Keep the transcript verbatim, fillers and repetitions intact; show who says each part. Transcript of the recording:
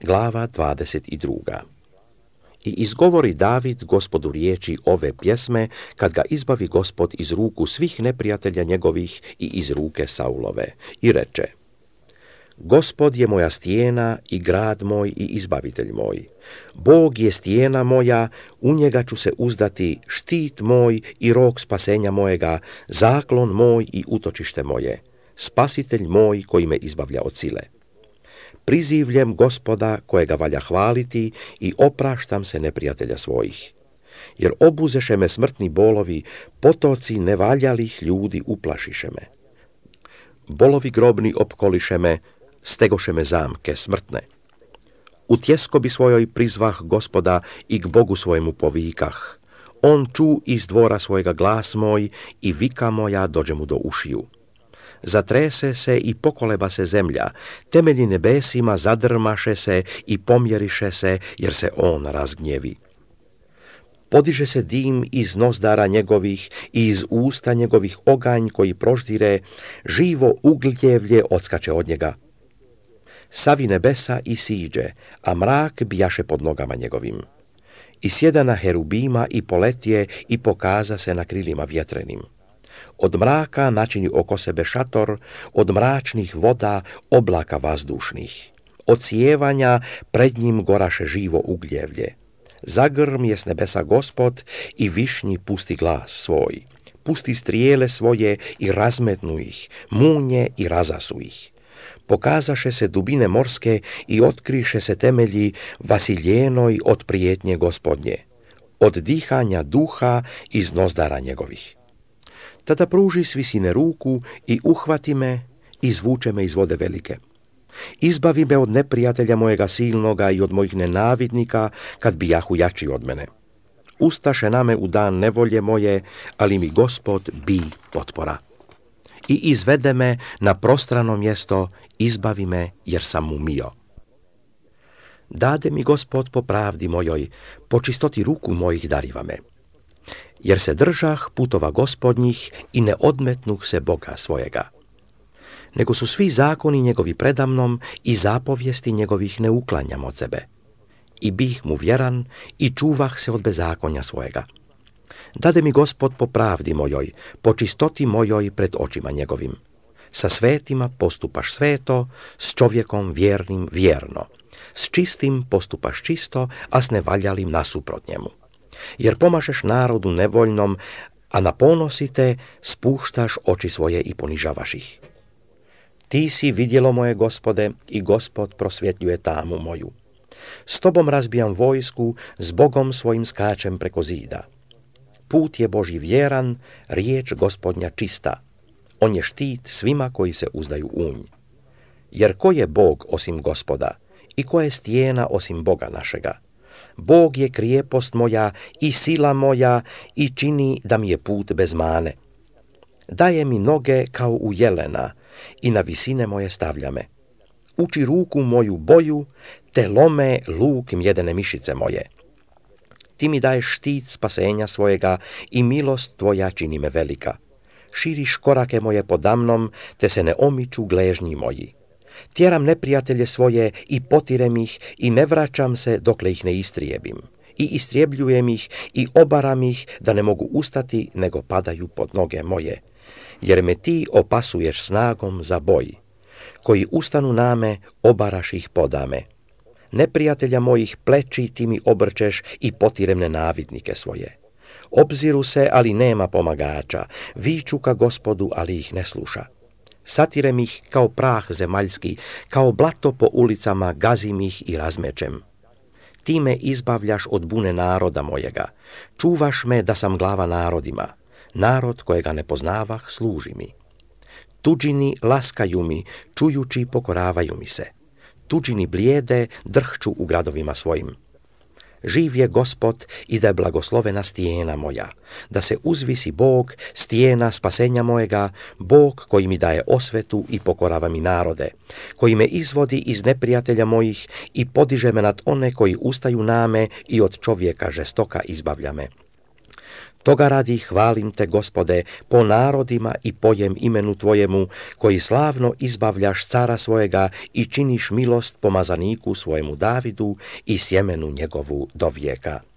Speaker 1: Glava dvadeset dva. I izgovori David Gospodu riječi ove pjesme, kad ga izbavi Gospod iz ruku svih neprijatelja njegovih i iz ruke Saulove. I reče: Gospod je moja stijena i grad moj i izbavitelj moj. Bog je stijena moja, u njega ću se uzdati, štit moj i rog spasenja mojega, zaklon moj i utočište moje, spasitelj moj koji me izbavlja od sile. Prizivljem Gospoda kojega valja hvaliti i opraštam se neprijatelja svojih. Jer obuzeše me smrtni bolovi, potoci nevaljalih ljudi uplašiše me. Bolovi grobni opkoliše me, stegoše me zamke smrtne. U tjeskobi svojoj prizvah Gospoda i k Bogu svojemu povikah. On ču iz dvora svojega glas moj i vika moja dođe mu do ušiju. Zatrese se i pokoleba se zemlja, temelji nebesima zadrmaše se i pomjeriše se, jer se on razgnjevi. Podiže se dim iz nozdara njegovih i iz usta njegovih oganj koji proždire, živo ugljevlje odskače od njega. Savi nebesa i siđe, a mrak bijaše pod nogama njegovim. I sjeda na herubima i poletije i pokaza se na krilima vjetrenim. Od mraka načini oko sebe šator, od mračnih voda oblaka vazdušnih. Od sjevanja pred njim goraše živo ugljevlje. Zagrm je s nebesa Gospod i višnji pusti glas svoj. Pusti strijele svoje i razmetnu ih, munje i razasu ih. Pokazaše se dubine morske i otkriše se temelji vasiljenoj od prijetnje Gospodnje, od dihanja duha iz nozdara njegovih. Tada pruži s visine ruku i uhvati me i izvuče me iz vode velike. Izbavi me od neprijatelja mojega silnoga i od mojih nenavidnika, kad bijahu jači od mene. Ustaše na me u dan nevolje moje, ali mi Gospod bi potpora. I izvede me na prostrano mjesto, izbavi me jer sam mu mio. Dade mi Gospod po pravdi mojoj, po čistoti ruku mojih dariva me. Jer se držah putova Gospodnjih i ne odmetnuh se Boga svojega. Nego su svi zakoni njegovi predamnom i zapovijesti njegovih ne uklanjam od sebe. I bih mu vjeran i čuvah se od bezakonja svojega. Dade mi Gospod po pravdi mojoj, po čistoti mojoj pred očima njegovim. Sa svetima postupaš sveto, s čovjekom vjernim vjerno. S čistim postupaš čisto, a s nevaljalim nasuprot njemu. Jer pomažeš narodu nevoljnom, a na ponosite spuštaš oči svoje i ponižavaš ih. Ti si vidjelo moje Gospode i Gospod prosvjetljuje tamu moju. S tobom razbijam vojsku, s Bogom svojim skačem preko zida. Put je Božji vjeran, riječ Gospodnja čista. On je štit svima koji se uzdaju u nj. Jer ko je Bog osim Gospoda i ko je stijena osim Boga našega? Bog je krijepost moja i sila moja i čini da mi je put bez mane. Daje mi noge kao u jelena i na visine moje stavlja me. Uči ruku moju boju, te lome luk mjedene mišice moje. Ti mi daješ štit spasenja svojega i milost tvoja čini me velika. Širiš korake moje podamnom, te se ne omiču gležnji moji. Tjeram neprijatelje svoje i potirem ih i ne vraćam se dokle ih ne istrijebim. I istrijebljujem ih i obaram ih da ne mogu ustati nego padaju pod noge moje. Jer me ti opasuješ snagom za boj. Koji ustanu na me, obaraš ih podame. Neprijatelja mojih pleći ti mi obrčeš i potirem nenavidnike svoje. Obziru se, ali nema pomagača, viču ka Gospodu, ali ih ne sluša. Satirem ih kao prah zemaljski, kao blato po ulicama gazim ih i razmečem. Ti me izbavljaš od bune naroda mojega, čuvaš me da sam glava narodima, narod kojega ne poznavah služi mi. Tuđini laskaju mi, čujući pokoravaju mi se. Tuđini blijede, drhču u gradovima svojim. Živ je Gospod i da je blagoslovena stijena moja, da se uzvisi Bog, stijena spasenja mojega, Bog koji mi daje osvetu i pokorava mi narode, koji me izvodi iz neprijatelja mojih i podiže me nad one koji ustaju na me i od čovjeka žestoka izbavlja me. Toga radi hvalim te, Gospode, po narodima i pojem imenu tvojemu, koji slavno izbavljaš cara svojega i činiš milost pomazaniku svojemu Davidu i sjemenu njegovu do vijeka.